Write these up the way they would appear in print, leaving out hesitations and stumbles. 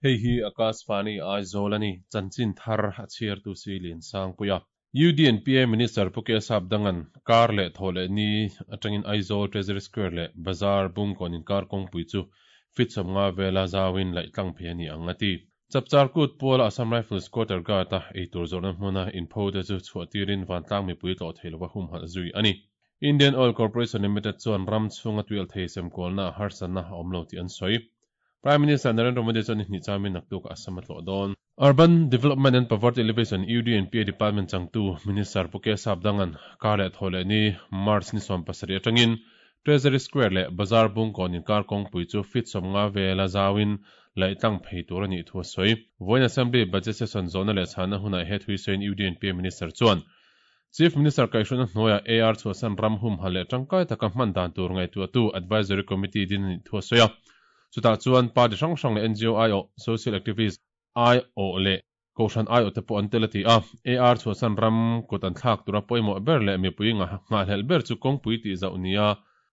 Hei hi Akashvani Aizawl a ni, chanchin thar a chhiartu si Liansangpuia. UDNPA Minister Pu Kesap Dangan kar leh thaw leh ni atangin Aizawl Treasury Square leh Bazar Bungkawn inkar kawngpui chu feet 50 vela zauin laih tlang phei a ni ang a ti. Chapchar kut puala Assam Rifles Quarter Guard-a eitur zawrhna hmuna inpho te chu chhuah tirin vantlang mipui tlawh thei lova humhalh zui a ni. Indian Oil Corporation Limited chuan ram chhunga tuialh thei semkualna harsatna a awm lo tih an sawi. Prime Minister Narendra Modi chuan ni hnih chamin naktuk a sam a tlawh dawn. Urban Development and Poverty Alleviation, UDNPA, Department changtu Minister Pu Kesap Dangan kar leh thaw leh ni March ni 17 atangin Treasury Square leh Bazar Bungkawn inkar kawngpui chu feet 50 vela zauin laih tlang phei tur a nih thu a sawi. Vawiin Assembly Budget Session zawhna leh chhanna hunah he thui sawiin UDNPA Minister chuan Chief Minister kaihhruaina hnuaiah AR chhuahsan ram humhalh leh tangkai taka hman dan tur ngaihtuahtu Advisory Committee din a nih thu a sawi a. Chutah chuan party hrang hrang leh NGO aiawh, social activist aiawh leh kohhran aiawh te pawh an tel a ti a. AR chhuahsan ram kut an thlak tura pawimawh ber leh mipui nghahhlelh ber chu kawngpui tih zauh nia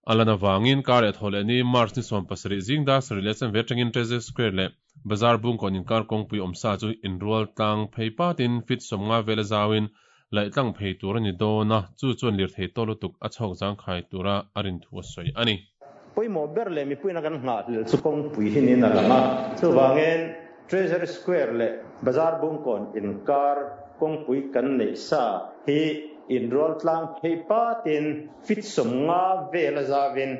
a lan avangin kar leh thaw leh ni March ni 17 zing dar sarih leh chanve atangin Treasury Square leh Bazar Bungkawn inkar kawngpui awmsa chu inrual tlang phei patin feet 50 vela zauin laih tlang phei tur a ni dawn a, chu chuan lirthei tawh lutuk a chhawk zangkhai tura a rin thu a sawi a ni. Pawimawh ber leh mipuiin a kan nghahhlelh chu kawngpui hi niin a lang a, chuvangin Treasury Square leh Bazar Bungkawn inkar kawngpui kan neih sa hi inrual tlang phei patin feet 50 vela zauvin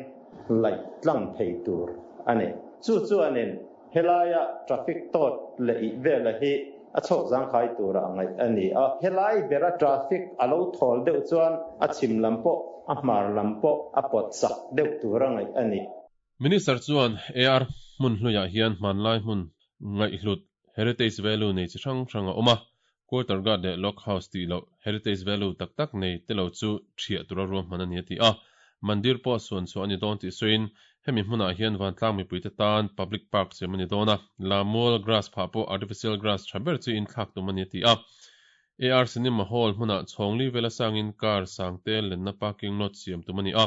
laih tlang thei tur a ni. Chu chuanin helaia traffic tawt leh ih vela hi a chhawk zangkhai tura a ngaih a ni a. Helai bera traffic a lo thawl deuh chuan a chhim lam pawh a hmar lam pawh a pawt chak deuh tura ngaih a ni. Minister chuan AR hmun hluiah hian hmanlai hmun ngaihhlut heritage value nei chi hrang hrang a awm a, quarter guard leh log house tih loh heritage value tak tak nei te lo chu thiah tura ruahman a ni a ti a. Mandir pawh suan chhuah a ni dawn tih sawiin hemi hmunah hian vantlang mipuite tan public park siam a ni dawn a, Lamual grass phah pawh artificial grass tha ber chi in thlak tum a ni a ti a. AR Cinema Hall hmunah chhawngli vela sangin car sangte lenna parking lot siam tum a ni a,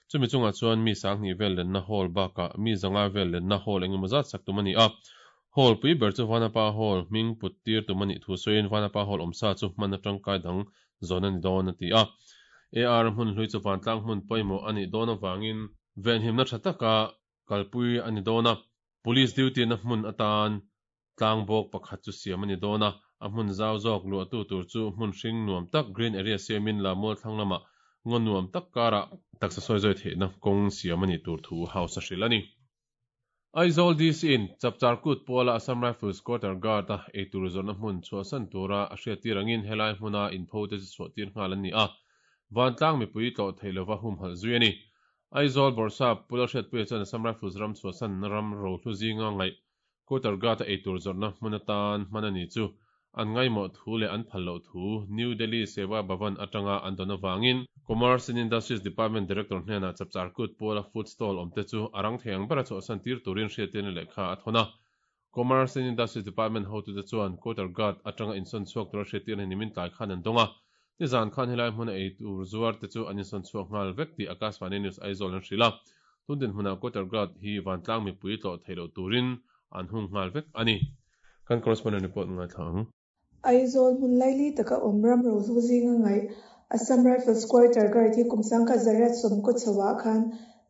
chumi chungah chuan mi sanghnih vel lenna hall bakah mi zanga vel lenna hall engemaw zat sak tum a ni a. Hall pui ber chu Vanapa Hall hming put tir tum a nih thu sawiin Vanapa Hall awmsa chu hman atangkai dang zawn a ni dawn a ti a. AR hmun hlui chu vantlang hmun pawimawh a nih dawn avangin venhimna tha taka kalpui a ni dawn a, Police duty na hmun atan tlang bawk pakhat chu siam a ni dawn a, a hmun zau zawk luahtu tur chu hmun hring nuam tak green area siamin Lamual thlang lamah ngaw nuam tak karah taksa sawi zawi theihna kawng siam a nih tur thu House a hrilh a ni. Aizawl DC in Chapchar Kut puala Assam Rifles Quarter Guard-a eitur zawrhna hmun chhuahsan tura a hriattir angin helai hmuna inpho te chu chhuahtir nghal an ni a, vantlang mipui tlawh theih lova humhalh zui a ni. Aizawl Bawrhsap Pu Lalhriatpuia chuan Assam Rifles ram chhuahsan ram rohlu zinga ngaih Quarter Guard-a eitur zawrhna hmun atan hman a ni chu an ngaimawh thu leh an phal loh thu New Delhi Seva Bhavan atanga an dawn avangin Commerce and Industries Department Director hnenah Chapchar Kut puala food stall awmte chu a rang thei ang bera chhuahsan tir turin hriattirna lehkha a thawn a. Commerce and Industries Department hotute chuan Quarter Guard atanga insawn chhuak tura hriattirna nimin tlai khan an dawng a. Nizan khan helai hmuna ei tur zuar te chu an insawn chhuak nghal vek tih Akashvani News Aizawl an hrilh a. Tun dinhmunah Quarter Guard hi vantlang mipui tlawh theih loh turin an hung nghal vek a ni. Kan correspondent report ngaithla ang. Aizawl hmun laili taka awm ram rohlu zinga ngaih Assam Rifles Quarter Guard hi kum 1980 chhoah khan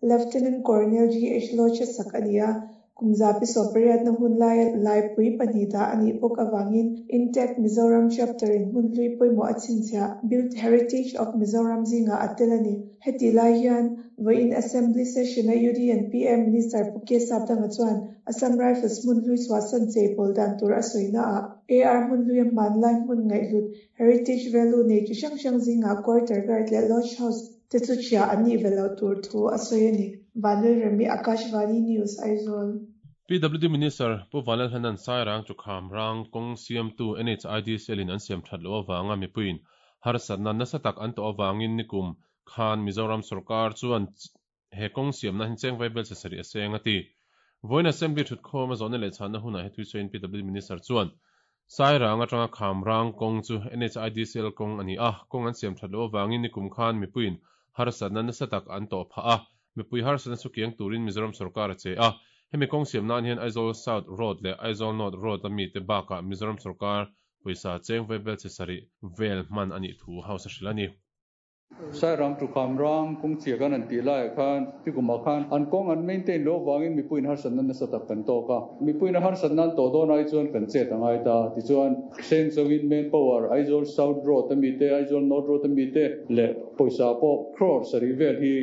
Lieutenant Colonel GH Lodge a sak a ni a, kum 18 na hun laia laipui pahnih dah a nih bawk avangin Intact Mizoram Chapter in hmun hlui pawimawh a chhinchhiah Built Heritage of Mizoram zingah a tel a ni. Heti lai hian vawiin Assembly Session a UDNPA Minister Pu K Sapdanga chuan Assam Rifles hmun hlui chhuahsan chei pawl dan tur a sawina ah AR hmun hlui a hmanlai hmun ngaihhlut heritage value nei chi hrang hrang zingah quarter guard leh lodge house te chu chhia an nih ve loh tur thu a sawi a ni. Vanlalremi Akashvani News Aizawl. PWD Minister Pu Vanlalhlanan Sairang Chukham rang kawng siamtu NHIDCL in an siam that loh avanga mipuiin harsatna nasa tak an tawh avangin nikum khan Mizoram sorkar chuan he kawng siamna hi cheng vaibel sasarih a seng a ti. Vawiin Assembly thutkhawm a zawhna leh chhanna hunah he thuisawiin PWD Minister chuan Sairang atanga Khamrang kawng chu NHIDCL kawng a ni a, kawng an siam that loh avangin nikum khan mipuiin harsatna nasa tak an tawh phah a, mipui harsatna chu kiang turin Mizoram sorkar a che a. Hemi kawng siam nan hian Aizawl South Road leh Aizawl North Road a mite bakah Mizoram sorkar pawisa cheng vaibel chhe sarih vel hman a nih thu House a hrilh a ni. Sairam to Khamrang kawng chhia khan an tih laiah khan nikumah khan an kawng an maintain loh avangin mipuiin harsatna nasa tak kan tawk a. Mipuiin a harsatna an tawh dawn ai chuan kan chet a ngai ta. Tichuan, seng chauhin Manpower, Aizawl South Road a mite, Aizawl North Road a mite leh pawisa pawh crore sarih vel hi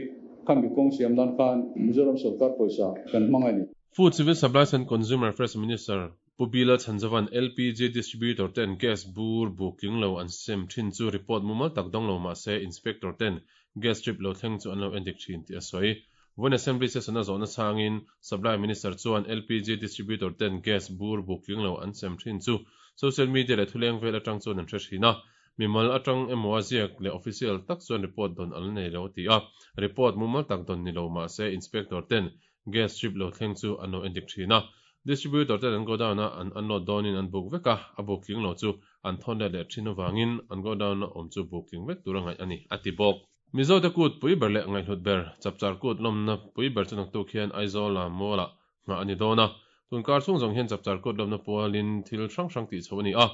khami kawng siam nan khan Mizoram sorkar pawisa kan hmang a ni. Food, Civil Supplies and Consumer Affairs Minister Pu Bila Chhanzova'n LPG distributor ten gas bur buk tling lo an sem thin chu report mumal tak dawng lo mah se inspector ten gas trip lo thleng chu an lo endik thin tih a sawi. Vawiin Assembly session a zawhna chhangin Supply Minister chuan LPG distributor ten gas bur buk tling lo an sem thin chu social media leh thuleng vel atang chuan an hre thin a, mimal atang emaw a ziak leh official tak chuan report dawn an la nei lo a ti a, report mumal tak dawn ni lo mah se inspector ten Gas strip lo thleng chu an lo endik thin a, distributor ten an godown a an unload dawnin an buk vek a, a buk tling lo chu an thawn let leh thin avangin an godown a awm chu buk tling vek tur a ngaih a ni, a ti bawk. Mizote kut pui ber leh ngaihhlut ber, Chapchar kut lawmna pui ber chu naktuk hian Aizawl a Mall ah nghah a ni dawn a, tun kar chhung zawng hian Chapchar kut lawmna pualin thil hrang hrang tih chhoh a ni a,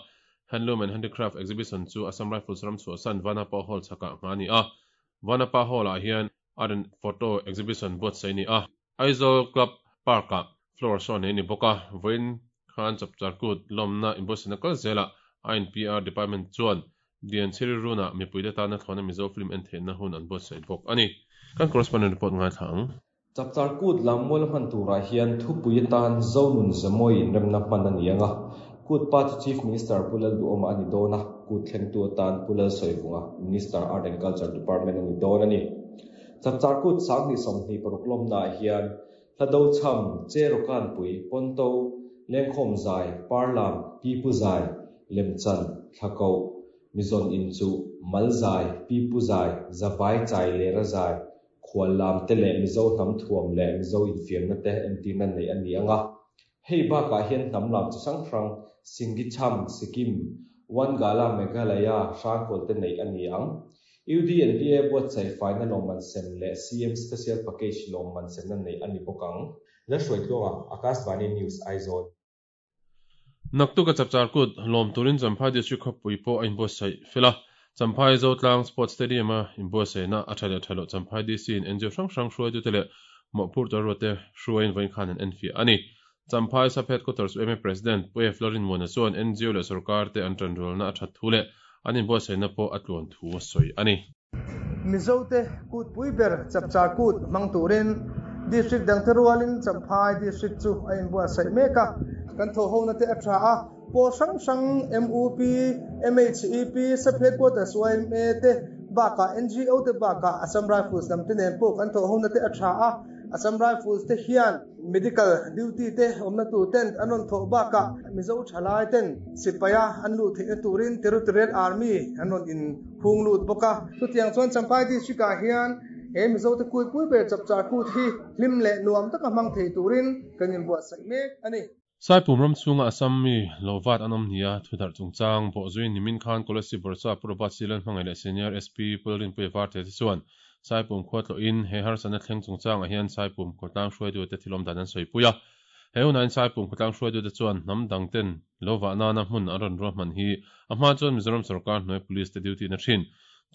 Handloom and Handicraft Exhibition chu Assam Rifles ram chhuahsan Vanapa Hall chhakah nghah a ni a, Vanapa Hall ah hian Art and Photo Exhibition buatsaih a ni a, Aizawl Club Park-ah floor show nei a ni bawk a, vawiin khan Chapchar Kut lawmna inbuatsaihna kal zelah INPR Department chuan Lianchhiri Run-ah mipuite tana thlawhna Mizo film en theihna hun an buatsaih bawk a ni. Kan correspondent report ngaithla ang. Chapchar Kut lam mual hman turah hian thupui atan Zonun Zemawi inremna hman a ni ang a, Kut pa chu Chief Minister Pu Lalduhawma a ni dawn a, kut thlengtu atan Pu Lalsawivunga, Minister, Art and Culture Department a ni dawn a ni. Chapchar kut 2026 lawmnaah hian Hlado chham, Che Rawkanpui, Pawnto, Lengkhawm zai, Parlam, Pipu zai, Lemchan, Thlakoh, Mizawn inchuh, Mal zai, Pipu zai, Zavai chai lera zai, Khuallam te leh Mizo hnam thuam leh Mizo infiamna te entirna neih a ni ang a. Hei bakah hian hnam lam chi hrang hrang, Singichham, Sikkim, Wangala, Meghalaya, Hrangkawl te neih a ni ang. UDNPA buatsaih faina lawmman sem leh CM Special Package lawmman semna neih a ni bawk ang. Lalhruaitluanga, Akashvani News, Aizawl. Naktuk a Chapchar Kut lawm turin Champhai District khawpui pawh a inbuatsaih fel a. Champhai Zotlang Sports Stadium a inbuatsaihna a tha leh tha loh Champhai DC in NGO hrang hrang hruaitute leh mawhphurtu ruatte hruaiin vawiin khan an enfiah a ni. Champhai Sub Headquarters yma President Pu F. Lalrinmuana chuan NGO leh sorkar te an tanrualna a that thu leh an inbuatsaihna pawh a tluan thu a sawi a ni. Mizote kut pui ber Chapchar Kut hmang turin District dangte rualin Champhai District chu a inbuatsaih mek a. Kan thawhhona te a tha a, pawl hrang hrang MUP, MHEP, Sub Headquarters yma te bakah NGO te bakah Assam Rifles lam te nen pawh kan thawhhona te a tha a. Assam Rifles te hian Medical duty te awmna tur tent an rawn thawh bakah Mizo thalai ten sipaia an luh theihna turin Territorial Army an rawn in hung lut bawk a. Chutiang chuan Champhai District ah hian he Mizo te kuipui ber Chapchar Kut hi hlim leh nuam taka hmang thei turin kan inbuatsaih mek a ni. Saipum ram chhunga Assam mi lo vat an awm nia thudarh chungchang bawhzui nimin khan Kolasib Bawrhsap Pu Robert Silan hmangaih leh Senior SP Pu Lalrinpuia Varte te chuan Saipum khua tlawhin he harsatna thleng chungchangah hian Saipum khawtlang hruaitute thil awm dan an sawipui a. He hunain Saipum khawtlang hruaitute chuan hnam dang ten lo vah nana hmun an rawn ruahman hi a hma chuan Mizoram sorkar hnuai Police te duty na thin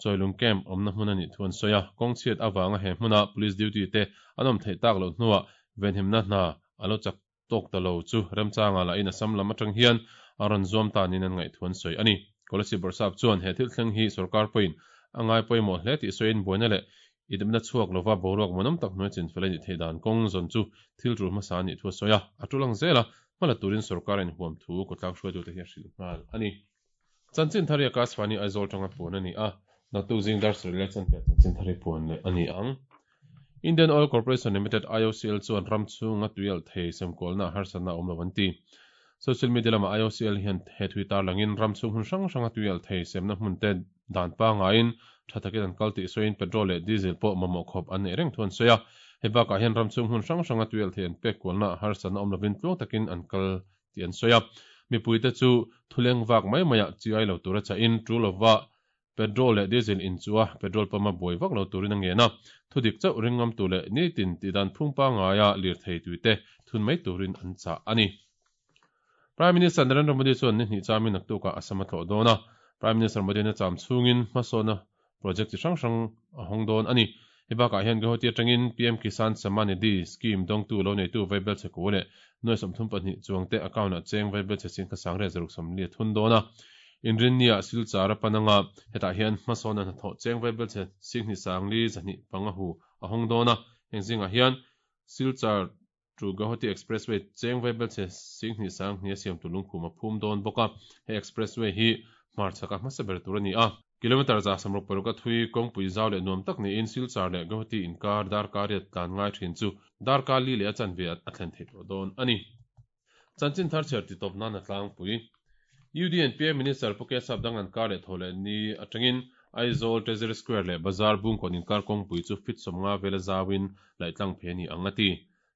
Chawilung Camp awmna hmun a nih thu an sawi a. Kawng chhiat avanga he hmuna Police duty te an awm theih tak loh hnuah venhimna hna a lo chak tawk ta lo chu remchangah lahin Assam lam atang hian a rawn zuam ta niin an ngaih thu an sawi a ni. Kolasib Bawrhsap chuan he thil thleng hi sorkar pawhin a ngai pawimawh hle tih sawiin buaina leh idepna chhuak lova boruak muanawm tak hnuai chinfel a nih theih dan kawng zawn chu thil tul hmasa a nih thu a sawi a, a tul ang zela hmala turin sorkar a inhuam thu kawtlang hruaitute hi a hrilh nghal a ni. Chanchin thar hi Akashvani Aizawl tanga puan a ni a, naktuk zing dar sarih leh chanpiah chanchin thar hi puan leh a ni ang. Indian Oil Corporation Limited, IOCL, chuan ram chhunga tuialh thei semkualna ah harsatna a awm lo an ti. Social media lamah IOCL hian he thui tarlangin ram chhung hmun hrang hranga tuialh thei semna hmun te dan pangaiin tha takin an kal tih sawiin petrol leh diesel pawh mamawh khawp an neih reng thu an sawi a. Hei bakah hian ram chhung hmun hrang hranga tuialh thei an pek kualna ah harsatna awm lovin tluang takin an kal tih an sawi a. Mipuite chu thuleng vak mai maiah chi ai lo tura chahin tul lova. Petrol leh Diesel inchuh a, petrol pump a buai vak lo turin a ngen a. Thudik chauh ringngam tur leh nitin tihdan phung pangaia lirthei tuite thun mai turin an chah a ni. Prime Minister Narendra Modi chuan ni hnih chamin naktukah Assam a tlawh dawn a. Prime Minister Modi-in a cham chhungin hmasawnna project chi hrang hrang a hawng dawn a ni. Hei bakah hian Guwahati atangin PM Kisan Samman Nidhi scheme dawngtu lo neitu Vaibelchhe Ku leh nuai 32 chuangte account-ah cheng Vaibelchhe Singkha Sangriat zaruk 40 a thun dawn a. Inrinnia Silchar a pan anga hetah hian hmasawnna hnathawh cheng Vaibelchhe Singhnih Sangli 205 hu a hawng dawn a. Heng zingah hian Silchar to Guwahati Expressway cheng Vaibelchhe Singhnih Sanghnih a siam tur lungkhum a phum dawn bawk a. He expressway hi hmarchhaka hmasa ber tur a ni a. Kilometre 166 a thui kawngpui zau leh nuam tak niin Silchar leh Guwahati inkar darkar riat tlan ngai thin chu darkar li leh a chanve a thlen theih tawh dawn a ni. Chanchin thar chhiar ti tawp nan a tlangpui. UDNPA Minister Pu Kesap dang an kar leh thaw leh ni atangin Aizawl Treasury Square leh Bazar Bungkawn inkar kawngpui chu feet 50 vela zauin laih tlang phei a ni ang a ti.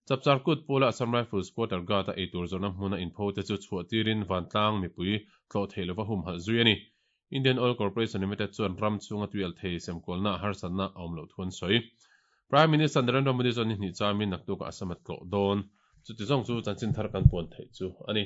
Chapchar kut pawla Assam Rifles Quarter Guard a eitur zawrhna hmuna inpho te chu chhuah tirin vantlang mipui tlawh theih lova humhalh zui a ni. Indian Oil Corporation Limited chuan ram chhunga tui alh thei semkualna harsatna a awm loh thu an sawi. Prime Minister Narendra Modi chuan ni hnih chamin naktukah Assam a tlawh dawn. Chuti zawng chu chanchin thar kan puan theih chu a ni.